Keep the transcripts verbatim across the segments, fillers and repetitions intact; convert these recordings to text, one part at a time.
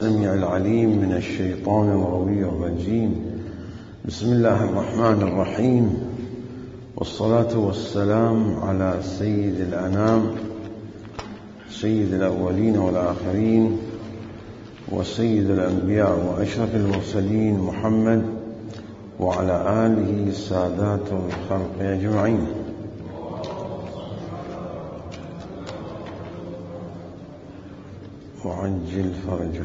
السميع العليم من الشيطان الغوي الرجيم. بسم الله الرحمن الرحيم، والصلاة والسلام على سيد الأنام، سيد الأولين والآخرين، وسيد الأنبياء وأشرف المرسلين محمد وعلى آله سادات الخلق أجمعين. وعجل فرجه.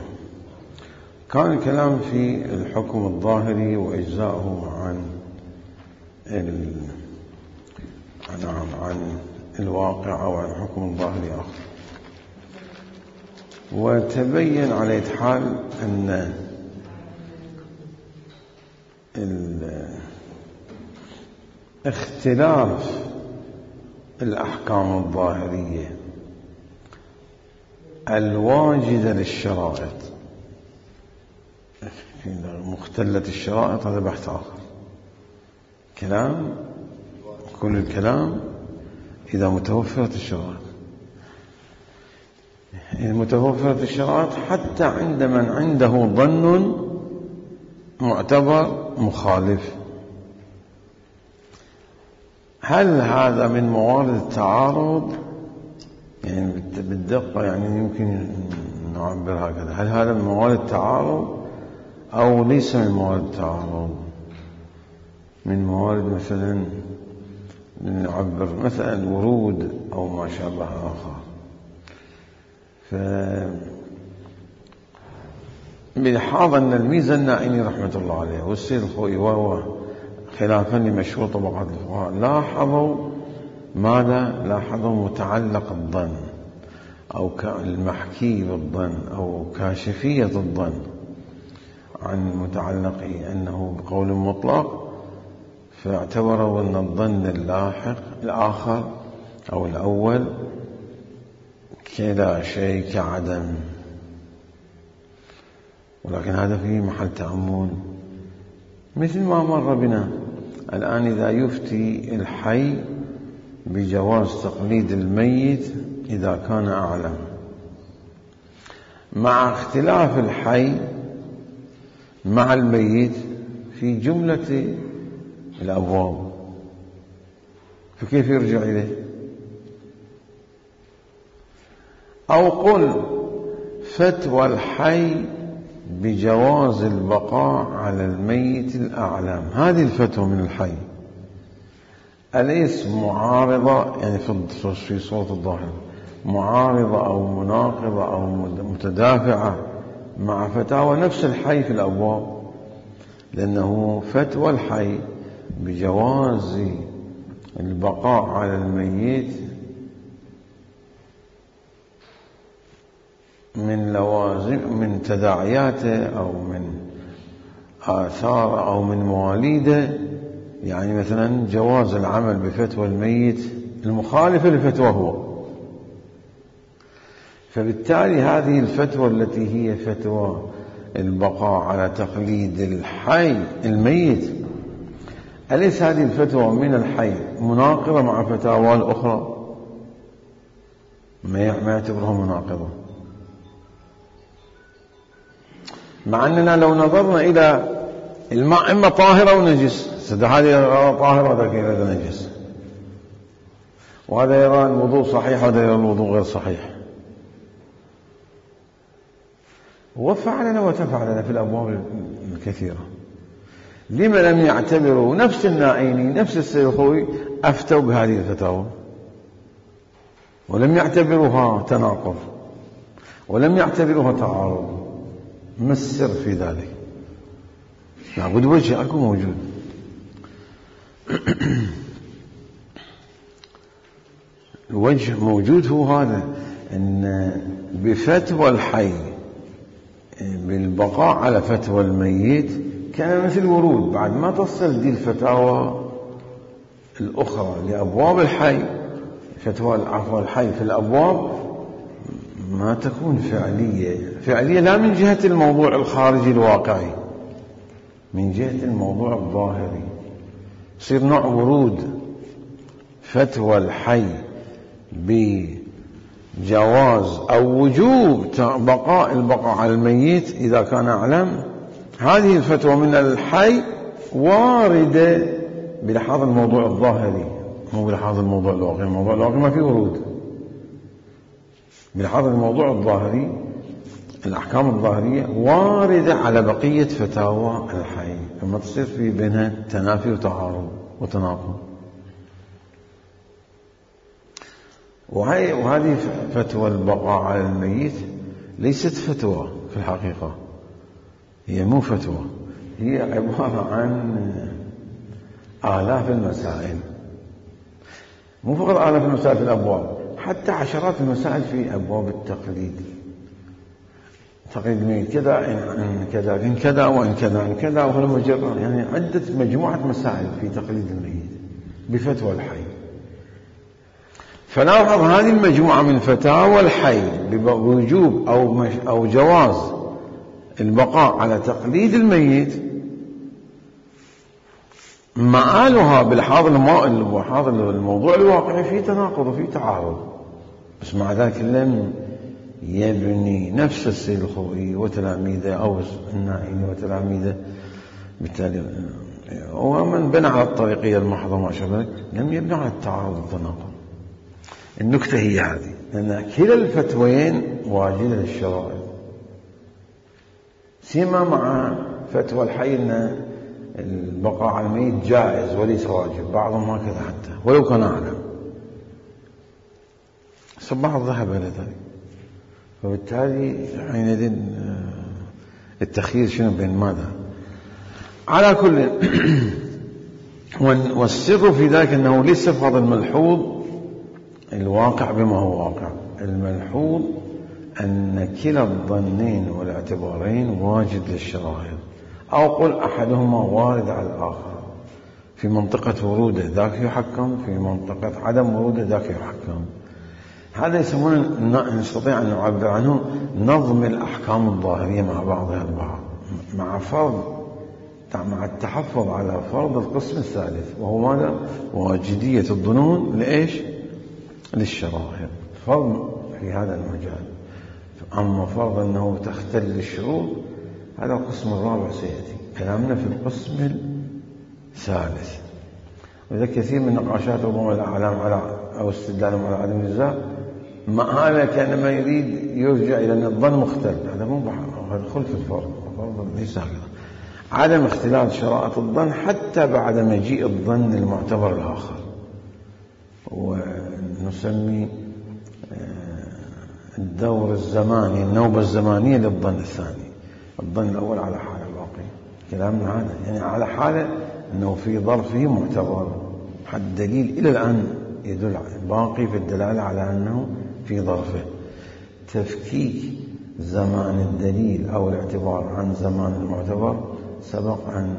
كان الكلام في الحكم الظاهري وإجزاؤه عن ال... عن الواقع أو عن الحكم الظاهري آخر، وتبين على حال أن اختلاف الأحكام الظاهرية الواجدة للشرائط، مختلة الشرائط، هذا بحث آخر. كلام كل الكلام إذا متوفرت الشرائط، إذا متوفرت الشرائط حتى عند من عنده ظن معتبر مخالف. هل هذا من موارد التعارض؟ يعني بالدقة يعني يمكن نعبر هكذا، هل هذا من موارد التعارض أو ليس من موارد التعارض؟ من موارد مثلا نعبر مثلا الورود أو ما شابه آخر. ف بلحاظ أن الميزة النائني رحمة الله عليه والسيد الخوئي وهو خلافا لمشهور طبقات الفقهاء لاحظوا ماذا؟ لاحظوا متعلق الظن أو المحكي بالظن أو كاشفية الظن عن متعلقه أنه بقول مطلق، فاعتبروا أن الظن اللاحق الآخر أو الأول كلا شيء كعدم. ولكن هذا فيه محل تأمل، مثل ما مر بنا الآن إذا يفتي الحي بجواز تقليد الميت إذا كان أعلم، مع اختلاف الحي مع الميت في جملة الأبواب، فكيف يرجع إليه؟ أو قل فتوى الحي بجواز البقاء على الميت الأعلم، هذه الفتوى من الحي أليس معارضة؟ يعني في صورة الظاهر معارضة أو مناقضة أو متدافعة مع فتاوى نفس الحي في الأبواب، لأنه فتوى الحي بجواز البقاء على الميت من لوازم من تداعياته أو من آثار أو من مواليده، يعني مثلا جواز العمل بفتوى الميت المخالفة لفتوى هو. فبالتالي هذه الفتوى التي هي فتوى البقاء على تقليد الحي الميت، أليس هذه الفتوى من الحي مناقضة مع فتاوى الأخرى؟ ما يعتبرها مناقضة، مع أننا لو نظرنا إلى الماء إما طاهر أو نجس، هذا طاهر وهذا كذا نجس، وهذا يرى الوضوء صحيح وهذا يرى الوضوء غير صحيح، وفعلنا وتفعلنا في الأبواب الكثيرة. لما لم يعتبروا نفس النائيني نفس السيد الخوئي أفتوا بهذه الفتاوى ولم يعتبروها تناقض ولم يعتبروها تعارض؟ ما السر في ذلك؟ لابد وجه أكو موجود. الوجه موجود هو هذا، أن بفتوى الحي بالبقاء على فتوى الميت كان مثل ورود، بعد ما تصل دي الفتاوى الأخرى لأبواب الحي، فتوى العفو الحي في الأبواب ما تكون فعلية فعلية لا من جهة الموضوع الخارجي الواقعي، من جهة الموضوع الظاهري، يصير نوع ورود فتوى الحي جواز أو وجوب بقاء البقاء على الميت إذا كان أعلم. هذه الفتوى من الحي واردة بلحاظ الموضوع الظاهري، مو بلحاظ الموضوع الواقعي. الموضوع الواقعي ما فيه ورود. بلحاظ الموضوع الظاهري الأحكام الظاهرية واردة على بقية فتاوى الحي، فما تصير في بينها تنافي وتعارض وتناقض. وهي وهذه فتوى البقاء على الميت ليست فتوى في الحقيقة، هي مو فتوى، هي عبارة عن آلاف المسائل، مو فقط آلاف المسائل في الأبواب، حتى عشرات المسائل في أبواب التقليد. تقليد الميت كذا إن كذا إن كذا وإن كذا إن كذا، وهو مجرد يعني عدة مجموعة مسائل في تقليد الميت بفتوى الحي. فلاحظ هذه المجموعة من فتاوى الحي بوجوب أو مش أو جواز البقاء على تقليد الميت، مآلها بلحاظ الموضوع الواقعي في تناقض وفي تعارض، بس مع ذلك لم يبني نفس السيد الخوئي وتلاميذه أو النائي وتلاميذه، بالتالي ومن بنى على الطريقية المحضة ما شابه لم يبنى على التعارض والتناقض. النكتة هي هذه، لأن كلا الفتوين واجدة للشرائع، سيما مع فتوى الحي أن البقاء على الميت جائز وليس واجب، بعضهم هكذا حتى ولو كان أعلم، بعض ذهب إلى ذلك. فبالتالي حينئذ التخيير شنو بين ماذا؟ على كل والسر في ذلك أنه ليس فقط الملحوظ الواقع بما هو واقع، الملحوظ أن كلا الظنين والاعتبارين واجد للشرائع، أو قل أحدهما وارد على الآخر، في منطقة وروده ذاك يحكم، في منطقة عدم وروده ذاك يحكم. هذا يسمونه نستطيع أن نعبر عنه نظم الأحكام الظاهرية مع بعضها البعض، مع فرض مع التحفظ على فرض القسم الثالث، وهو ماذا؟ واجدية الظنون لإيش؟ للشرائع، فرض في هذا المجال. أما فرض أنه تختل الشروط هذا القسم الرابع سيأتي كلامنا في القسم الثالث. وإذا كثير من نقاشات ربما الأعلام على أو استدلالهم على عدم الجزاء مآلة كأنما يريد يرجع إلى أن الظن مختل، هذا مو هذا خلف الفرض، الفرض ليس هكذا. عدم اختلال شرائط الظن حتى بعد مجيء الظن المعتبر الآخر، ونسمي الدور الزماني النوبة الزمانية للظن الثاني. الظن الأول على حالة الواقع، كلامنا هذا يعني على حالة أنه في ظرفه معتبر، حد دليل إلى الآن يدل باقي في الدلالة على أنه في ظرفه. تفكيك زمان الدليل أو الاعتبار عن زمان المعتبر سبق أن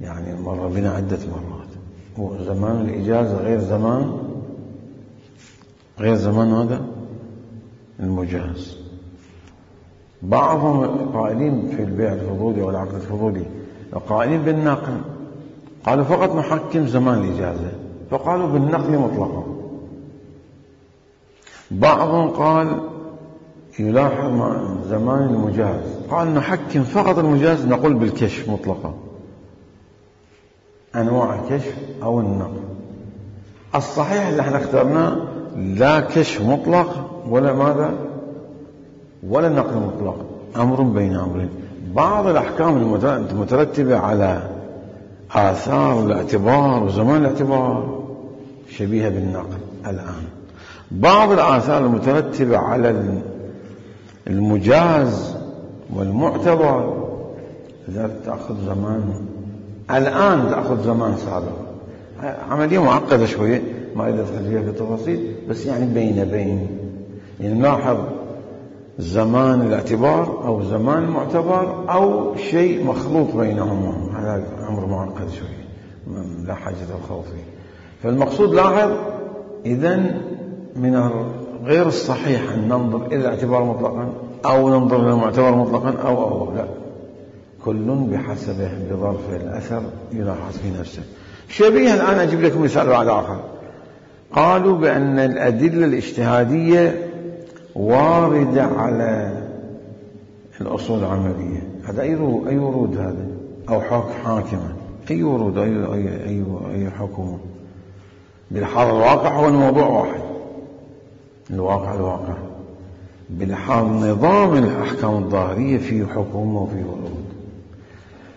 يعني مر بنا عدة مرات. وزمان الإجازة غير زمان غير زمان هذا المجاز. بعضهم قائلين في البيع الفضولي والعقد الفضولي قائلين بالنقل، قالوا فقط نحكم زمان الإجازة، فقالوا بالنقل مطلقا. بعضهم قال يلاحظ زمان المجاز، قال نحكم فقط المجاز، نقول بالكشف مطلقا، أنواع الكشف أو النقل. الصحيح اللي احنا اخترناه لا كشف مطلق ولا ماذا ولا نقل مطلق، أمر بين أمرين. بعض الأحكام المترتبة على آثار الاعتبار وزمان الاعتبار شبيهة بالنقل الآن. بعض الآثار المترتبة على المجاز والمعتبر لذلك تأخذ زمان الآن، تأخذ زمان سابق. عملية معقدة شوية ما أريد أدخل فيها في التفاصيل، بس يعني بين بين يعني نلاحظ زمان الاعتبار أو زمان المعتبر أو شيء مخلوط بينهما، هذا أمر معقد شوية لا حاجة الخوف فيه. فالمقصود لاحظ إذن من غير الصحيح أن ننظر إلى الاعتبار مطلقا أو ننظر إلى المعتبر مطلقا أو أو لا، كل بحسبه بظرف الأثر يلاحظ في نفسه. شبيه الآن أجيب لكم مثال بعد آخر. قالوا بأن الأدلة الاجتهادية واردة على الأصول العملية. هذا أي أي ورود هذا؟ أو حاكمة أي ورود أي أي أي, أي حكومة؟ بالحال الواقع هو الموضوع واحد، الواقع الواقع بالحال نظام الأحكام الظاهرية فيه حكومة وفيه ورود.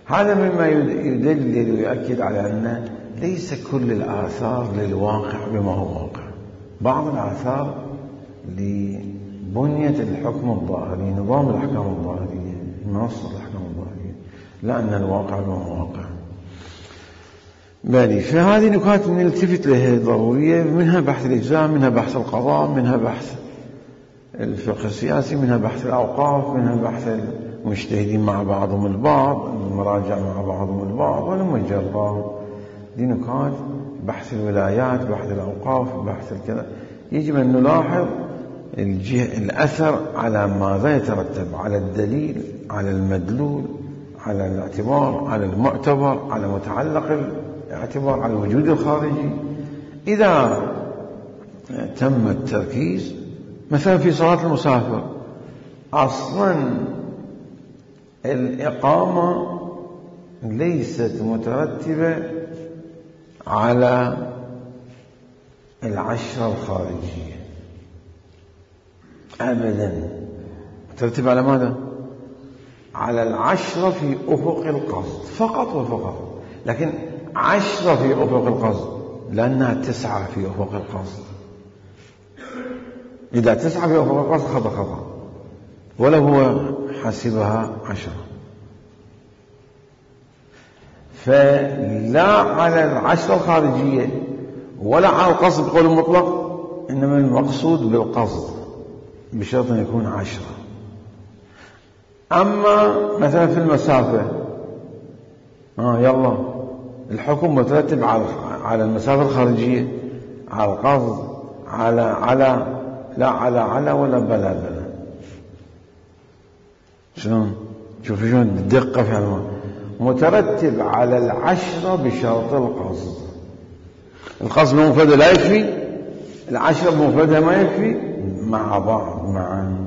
هذا مما يدلل ويؤكد على أن ليس كل الآثار للواقع بما هو واقع. بعض الآثار لبنية الحكم الظاهري، نظام الأحكام الظاهرية، منصة الأحكام الظاهرية، لا أن الواقع بما هو واقع. بالي فهذه نكات نلتفت لها ضرورية، منها بحث الإجزاء، منها بحث القضاء، منها بحث الفقه السياسي، منها بحث الأوقاف، منها بحث المجتهدين مع بعضهم البعض، المراجع مع بعضهم البعض، ولما الجرار. دي نكات بحث الولايات، بحث الأوقاف، بحث الكذا. يجب أن نلاحظ الجهة الأثر على ماذا يترتب، على الدليل، على المدلول، على الاعتبار، على المعتبر، على متعلق الاعتبار، على الوجود الخارجي. إذا تم التركيز مثلا في صلاة المسافر، أصلا الإقامة ليست مترتبة على العشرة الخارجية أبدا، مترتبة على ماذا؟ على العشرة في أفق القصد فقط وفقط. لكن عشرة في أفق القصد لأنها تسعة في أفق القصد. إذا تسعة في أفق القصد خطأ خطأ، ولو هو حسبها عشرة. فلا على العشرة الخارجية ولا على القصد بقول المطلق، إنما المقصود بالقصد بشرط أن يكون عشرة. أما مثلا في المسافة، آه يلا الحكم مترتب على على المسافة الخارجية، على القصد، على على لا على على ولا بلا بلا. شلون؟ شوف شلون الدقة في هذا، مترتب على العشرة بشرط القصد. القصد بمفردة لا يكفي، العشرة بمفردة ما يكفي، مع بعض معا.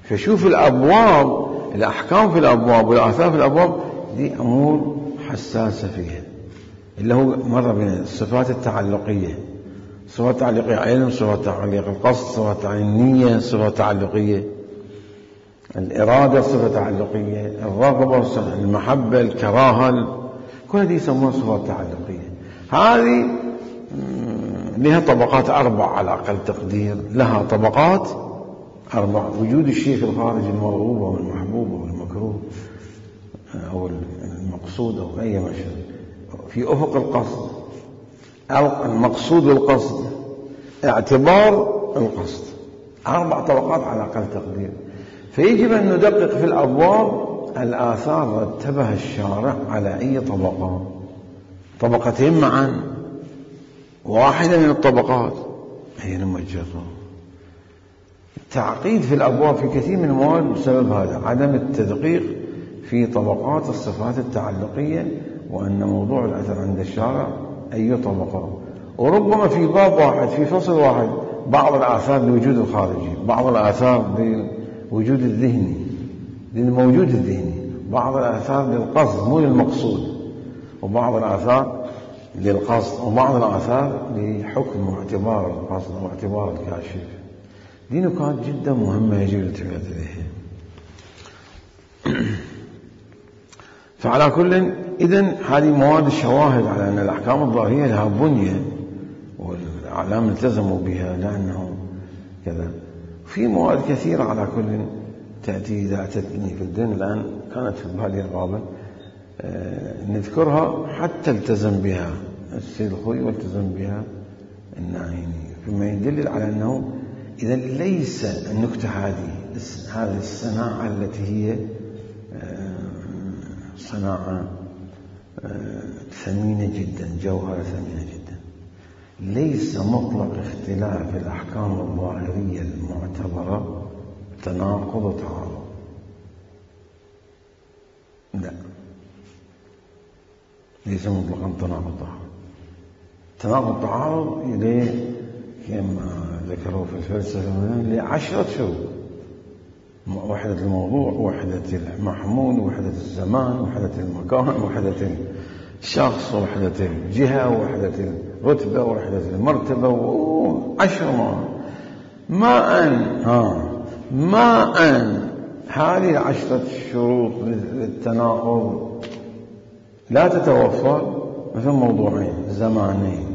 فشوف الأبواب، الأحكام في الأبواب والآثار في الأبواب دي أمور حساسة فيها، اللي هو مرة بين الصفات التعلقية، صفات تعليقية علم، صفات تعليق القصد، صفات تعليق النية، صفات تعلقية الإرادة، صفة تعلقية الرغبة، المحبة، الكراهة، كل هذه يسمونها صفات تعلقية. هذه لها طبقات أربع على أقل تقدير، لها طبقات أربع: وجود الشيء في الخارج، المرغوب أو المحبوب أو المكروه أو المقصود أو أي مشهد، في أفق القصد، المقصود والقصد، اعتبار القصد، أربع طبقات على أقل تقدير. فيجب أن ندقق في الأبواب الآثار رتبها الشارع على أي طبقة، طبقتين معا، واحدة من الطبقات هي المجرة. التعقيد في الأبواب في كثير من المواد بسبب هذا، عدم التدقيق في طبقات الصفات التعلقية، وأن موضوع الأثر عند الشارع أي طبقة. وربما في باب واحد، في فصل واحد، بعض الآثار للوجود الخارجي، بعض الآثار للوجود الذهني، للموجود الذهني، بعض الآثار للقصد مو للمقصود، وبعض الآثار للقصد، وبعض الآثار لحكم واعتبار القصد واعتبار الكاشف. دي نقاط جدا مهمة يجب الالتفات إليها. فعلى كل، إذن هذه مواد الشواهد على أن الأحكام الظاهرية لها بنية والأعلام التزموا بها لأنه كذا. في مواد كثيرة على كل تأتي إذا أتتني في الدين الآن كانت في بالي غالبا آه نذكرها حتى التزم بها السيد الخوي والتزم بها النعيمي، فيما يدلل على أنه إذا ليس النكتة هذه هذه الصناعة التي هي صناعة ثمينة جدا، جوهرة ثمينة جدا، ليس مطلق اختلاف الأحكام الظاهرية المعتبرة تناقض وتعارض، لا، ليس مطلقا تناقض وتعارض. تناقض وتعارض إليه كما ذكروه في الفلسفة لعشرة شروط: وحدة الموضوع، وحدة المحمول، وحدة الزمان، وحدة المكان، وحدة الشخص، وحدة الجهة، وحدة الرتبة، وحدة المرتبة، وعشر ما ما أن ها ما أن هذه العشرة شروط للتناقض لا تتوفر مثل موضوعين، زمانين،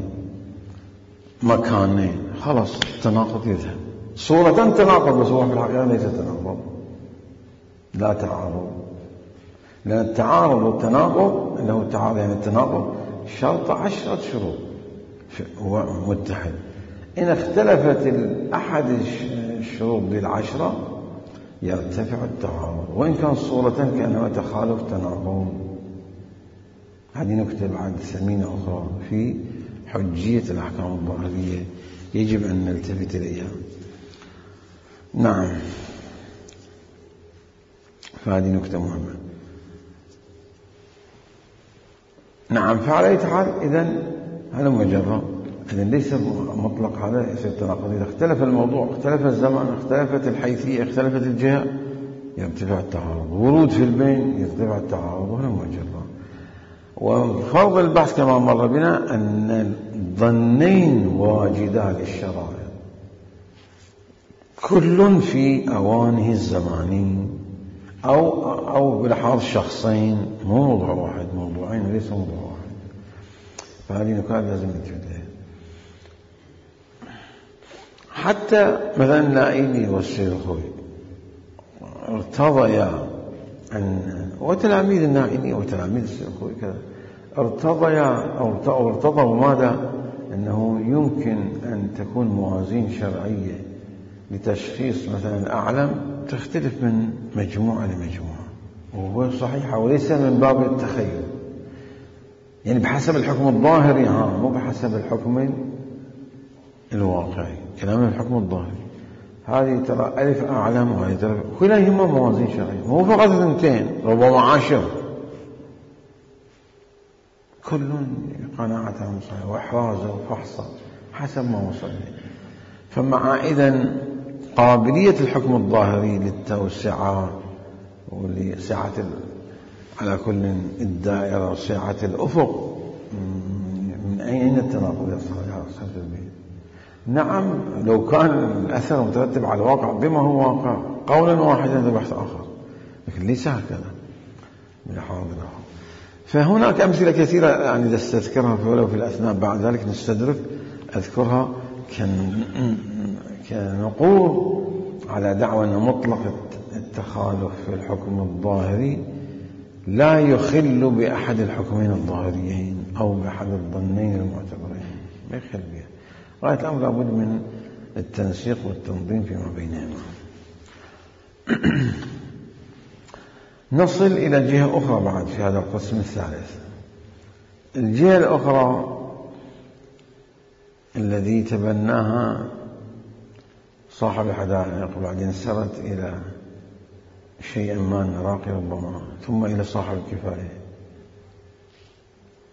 مكانين، خلاص التناقض يذهب. صورة تناقض بس هو في الحقيقة ليس تناقض، لا تعارض، لأن التعارض والتناقض اللي هو التعارض يعني التناقض شرط عشرة شروط متحد. إن اختلفت أحد الشروط بالعشرة يرتفع التعارض، وإن كان صورة كأنما تخالف تناقض. هذه نكتة بعد ثمينة أخرى في حجية الأحكام الظاهرية يجب أن نلتفت إليها. نعم، فهذه نكتة مهمة. نعم، فعلى أي حال إذن هذا مجرد، إذن ليس مطلق هذا يصير تناقض. إذا اختلف الموضوع، اختلف الزمان، اختلفت الحيثية، اختلفت الجهة، يرتفع التعارض. ورود في البين يرتفع التعارض، وهذا مجرد. وفرض البحث كما مر بنا أن الظنين واجدا للشرائع كل في أوانه الزماني أو أو بلحاظ شخصين، مو موضوع واحد، موضوعين وليس موضوع واحد. فهذه نكات لازم نتفاداها. حتى مثلا النائيني والسيد الخوي ارتضيا أن، وتلاميذ النائيني وتلاميذ السيد الخوي كذا، ارتضيا أو ارتضوا ماذا؟ أنه يمكن أن تكون موازين شرعية لتشخيص مثلا أعلم تختلف من مجموعة لمجموعة، وهو صحيحة وليس من باب التخيل، يعني بحسب الحكم الظاهري، ها مو بحسب الحكم الواقعي، كلام الحكم الظاهري. هذه ترى ألف أعلم، وهذه ترى كلها هم موازين شرعية، مو فقط اثنتين، ربما عشر، كل قناعتهم صحيحة وإحرازه وفحصه حسب ما وصل. فمع إذن قابلية الحكم الظاهري للتوسعة ولسعة على كل الدائرة وسعة الأفق، من أين التناقض يصل يا أصحاب البيت؟ نعم، لو كان الأثر مترتب على الواقع بما هو واقع قولا واحدا هذا بحث آخر، لكن ليس هكذا بلحاظ آخر. فهناك أمثلة كثيرة يعني نستذكرها ولو في الأثناء، بعد ذلك نستدرك أذكرها كنقول على دعوى أن مطلق التخالف في الحكم الظاهري لا يخل بأحد الحكمين الظاهريين أو بأحد الظنين المعتبرين، ما يخل بها. غاية الأمر لابد من التنسيق والتنظيم فيما بينهما. نصل إلى جهة أخرى بعد في هذا القسم الثالث. الجهة الأخرى الذي تبناها صاحب الحدائق، بعدين سرت إلى شيئا ما نراقي ربما، ثم إلى صاحب الكفاية،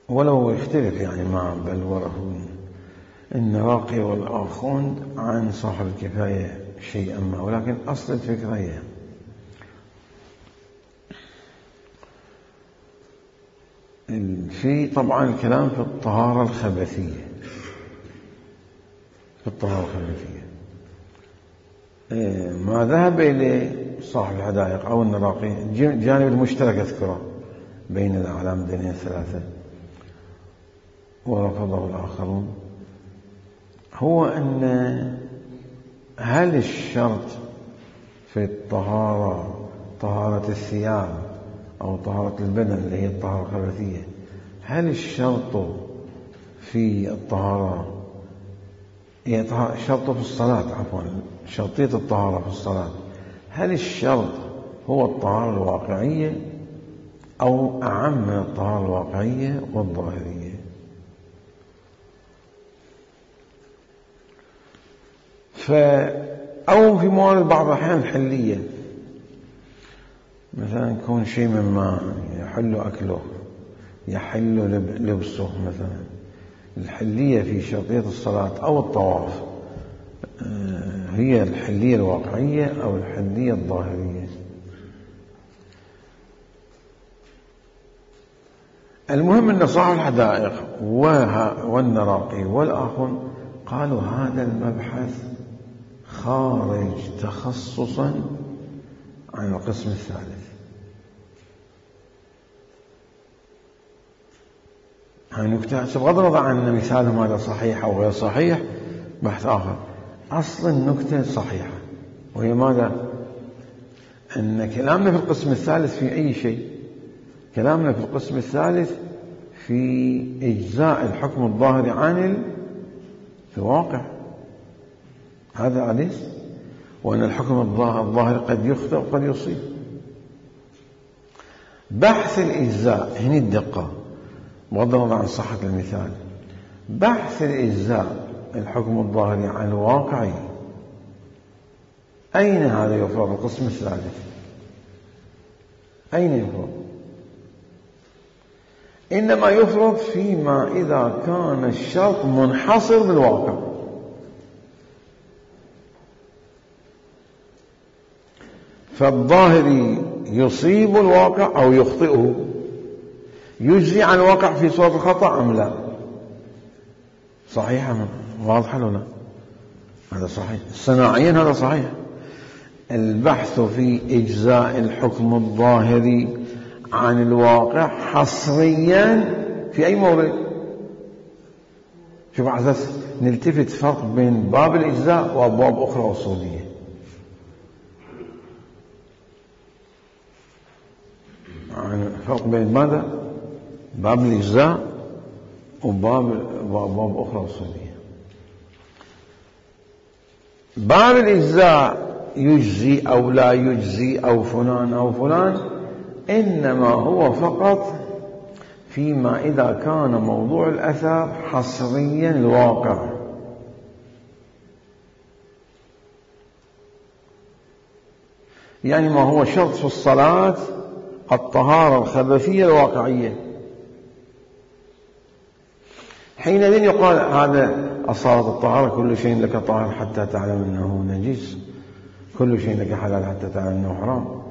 ولو يختلف يعني مع بلوره النراقي والآخوند عن صاحب الكفاية شيئا ما، ولكن أصل الفكرة هي في طبعا الكلام في الطهارة الخبثية، في الطهارة الخبثية ما ذهب إليه صاحب الحدائق أو النراقي، الجانب المشترك أذكره بين الأعلام الدينية الثلاثة ورفضه الآخرون، هو أن هل الشرط في الطهارة طهارة الثياب أو طهارة البدن اللي هي الطهارة الخبثية، هل الشرط في الطهارة هي شرط في الصلاة، عفوا شرطية الطهارة في الصلاة، هل الشرط هو الطهارة الواقعية أو أعم من الطهارة الواقعية والظاهرية؟ ف أو في موارد بعض الأحيان الحلية، مثلا يكون شيء مما يحل أكله يحل لبسه، مثلا الحلية في شرطية الصلاة أو الطواف هي الحلية الواقعية أو الحلية الظاهرية. المهم أن صاحب الحدائق والنراقي والآخر قالوا هذا المبحث خارج تخصصا عن القسم الثالث. هاي نكتة بغض النظر عن مثالهم هذا صحيح أو غير صحيح، بحث آخر. أصل النكتة صحيحة، وهي ماذا؟ أن كلامنا في القسم الثالث في أي شيء، كلامنا في القسم الثالث في إجزاء الحكم الظاهري عن الواقع، هذا أليس؟ وأن الحكم الظاهري قد يخطئ وقد يصيب. بحث الإجزاء هنا الدقة بغض النظر عن صحة المثال. بحث الإجزاء الحكم الظاهري عن الواقعي، أين هذا يفرض؟ القسم الثالث أين يفرض؟ إنما يفرض فيما إذا كان الشرط منحصر بالواقع. فالظاهري يصيب الواقع أو يخطئه، يجزي عن الواقع في صورة الخطأ أم لا؟ صحيح واضح ولا لا؟ هذا صحيح صناعيا، هذا صحيح. البحث في إجزاء الحكم الظاهري عن الواقع حصريا في أي موضع؟ شوف على أساس نلتفت فرق بين باب الإجزاء وأبواب أخرى أصولية. يعني فرق بين ماذا؟ باب الإجزاء وباب وأبواب أخرى أصولية. باب الإجزاء يجزي أو لا يجزي أو فلان أو فلان، إنما هو فقط فيما إذا كان موضوع الأثر حصريا الواقع. يعني ما هو شرط في الصلاة الطهارة الخبثية الواقعية، حينئذ يقال هذا أصالة الطهارة كل شيء لك طاهر حتى تعلم أنه نجس، كل شيء لك حلال حتى تعلم أنه حرام.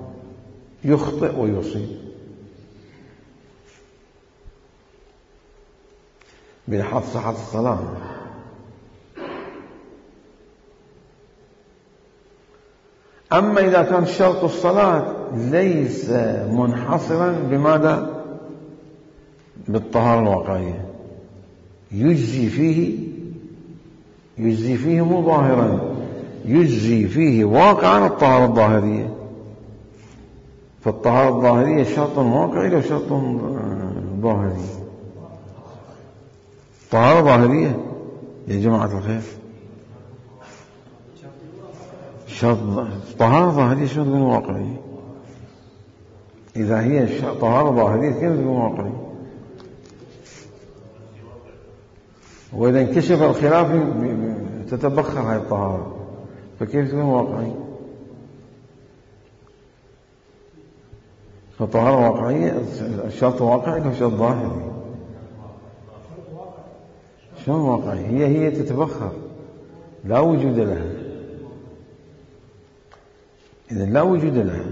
يخطئ ويصيب بلحاظ صحة الصلاة. أما إذا كان شرط الصلاة ليس منحصرا بماذا؟ بالطهارة الواقعية، يجزي فيه يجزي فيه مو ظاهرا، يجزي فيه واقعا الطهارة الظاهرية. فالطهارة الظاهرية شرط واقعي أو شرط ظاهري؟ طهارة ظاهرية يا جماعة الخير، شرط طهارة ظاهرية شرط واقعي. إذا هي طهارة ظاهرية كيف تكون واقعي؟ وإذا انكشف الخلاف تتبخر هذه الطهارة، فكيف تكون واقعي؟ فالطهارة واقعية الشرط واقعي أو شرط ظاهري؟ شلون واقعي؟ هي هي تتبخر لا وجود لها. إذا لا وجود لها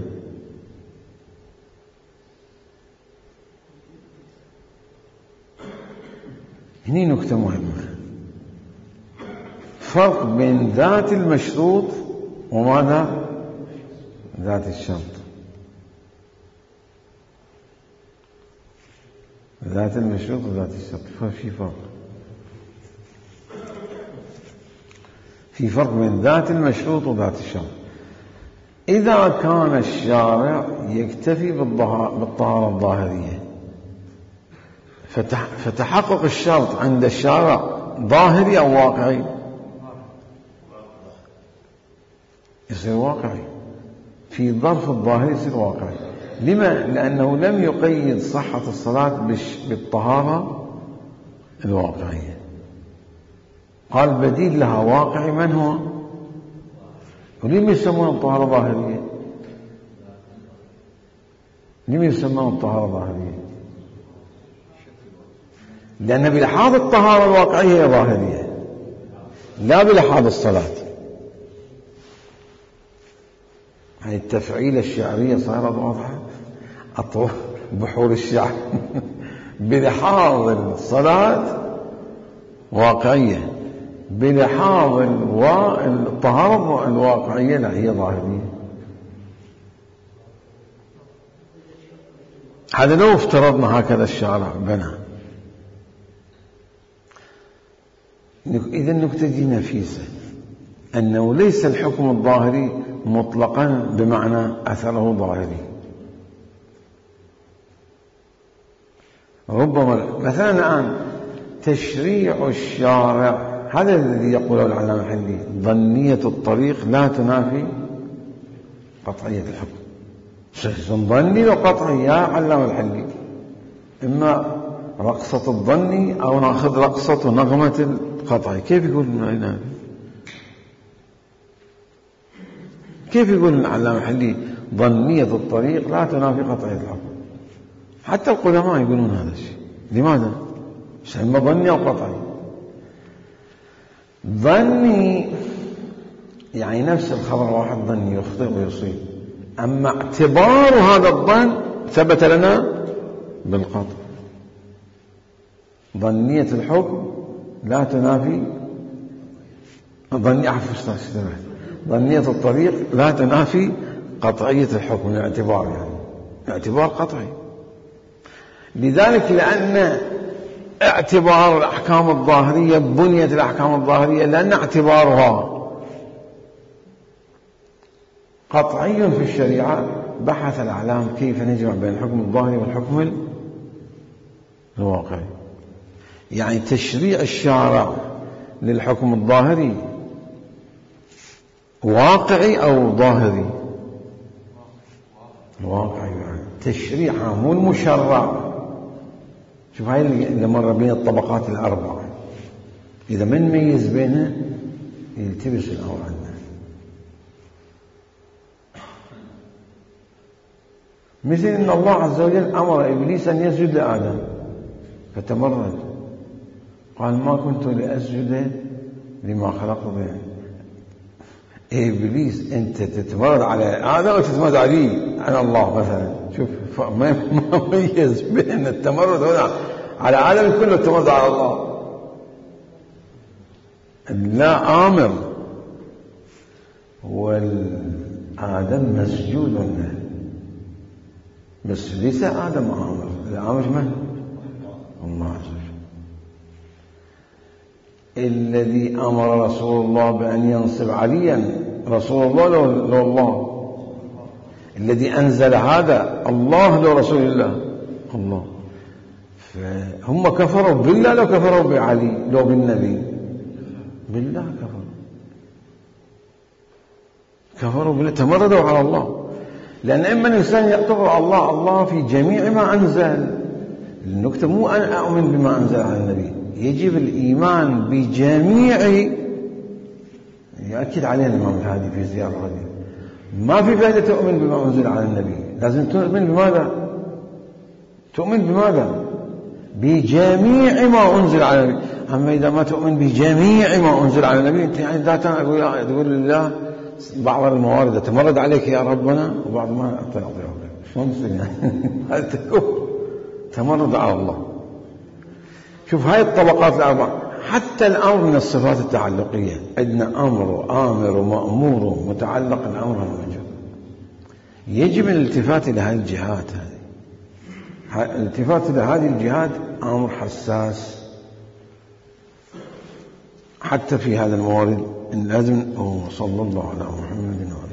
هني نكتة مهمة، فرق بين ذات المشروط وماذا؟ ذات الشرط. ذات المشروط وذات الشرط ففي فرق، في فرق بين ذات المشروط وذات الشرط. إذا كان الشارع يكتفي بالطهارة الظاهرية فتحقق الشرط عند الشارع ظاهري أو واقعي؟ يصير واقعي، في ظرف الظاهري يصير واقعي. لما؟ لأنه لم يقيد صحة الصلاة بالطهارة الواقعية، قال بديل لها واقعي. من هو؟ ولم يسمونه الطهارة ظاهرية؟ لم يسمونه الطهارة ظاهرية؟ لأن بلحاظ الطهارة الواقعية هي ظاهرية لا بلحاظ الصلاة. هاي التفعيلة الشعرية صارت واضحة. أطول بحور الشعر بلحاظ الصلاة واقعية، بلحاظ الطهارة الواقعية لا، هي ظاهرية. هذا لو افترضنا هكذا الشارع بنى. إذا النكتة دي نفيسة، أنه ليس الحكم الظاهري مطلقا بمعنى أثره ظاهري. ربما مثلا الآن تشريع الشارع، هذا الذي يقوله العلامة الحلي، ظنية الطريق لا تنافي قطعية الحكم. شيء ظني وقطعي يا علامة الحلي، إما رقصة الظني أو ناخذ رقصة ونغمة القطعي. كيف يقول ما ينافي؟ كيف يقول العلامة الحلي ظنية الطريق لا تنافي قطعية الحكم؟ حتى القدماء يقولون هذا الشيء. لماذا؟ إما ظني أو قطعي. ظني يعني نفس الخبر واحد ظني يخطئ ويصيب، أما اعتبار هذا الظن ثبت لنا بالقطع. ظنية الحكم لا تنافي ظني عفوا ظنية الطريق لا تنافي قطعية الحكم، الاعتبار يعني اعتبار قطعي. لذلك لأن اعتبار الأحكام الظاهرية، بنيت الأحكام الظاهرية لأن اعتبارها قطعي في الشريعة، بحث الأعلام كيف نجمع بين الحكم الظاهري والحكم الواقعي. يعني تشريع الشارع للحكم الظاهري واقعي أو ظاهري؟ واقعي يعني تشريعها مو المشرع. شوف هاي اللي مر بين الطبقات الأربعة، إذا من ميز بينها يلتبس الأمر عندنا. مثل أن الله عز وجل أمر إبليس أن يسجد لآدم فتمرد، قال ما كنت لأسجد لما خلقت بيني. إبليس أنت تتمرد على آدم أو تتمرد علي على الله مثلا؟ شوف ما ميز بين التمرد هنا على آدم كله التمرد على الله. لا آمر والآدم مسجود له، بس ليس آدم آمر، الآمر من؟ الله عز وجل. الذي أمر رسول الله بأن ينصب عليا رسول الله لو, لو الله. الذي أنزل هذا الله لو رسول الله الله. فهم كفروا بالله لو كفروا بعلي لو بالنبي؟ بالله كفروا كفروا بالله، تمردوا على الله. لأن إما الإنسان يعتبر على الله الله في جميع ما أنزل. النكتة مو أن أؤمن بما أنزل على النبي، يجب الإيمان بجميع. يؤكد علينا الإمام الهادي في زيارة هذه، ما في فائدة تؤمن بما أنزل على النبي، لازم تؤمن بماذا؟ تؤمن بماذا؟ بجميع ما أنزل على النبي. أما إذا ما تؤمن بجميع ما أنزل على النبي، أنت يعني تقول لله بعض الموارد تمرد عليك يا ربنا وبعض ما أعطيك. شلون يصير يعني؟ هذا تكون تمرد على الله. شوف هاي الطبقات الأربعة. حتى الأمر من الصفات التعلقية، عندنا أمر وآمر ومأمور ومتعلق الأمر والمجهول. يجب الالتفات إلى هذه الجهات. هذه الالتفات إلى هذه الجهات أمر حساس حتى في هذا الموارد. لازم. صلى الله على محمد وعلى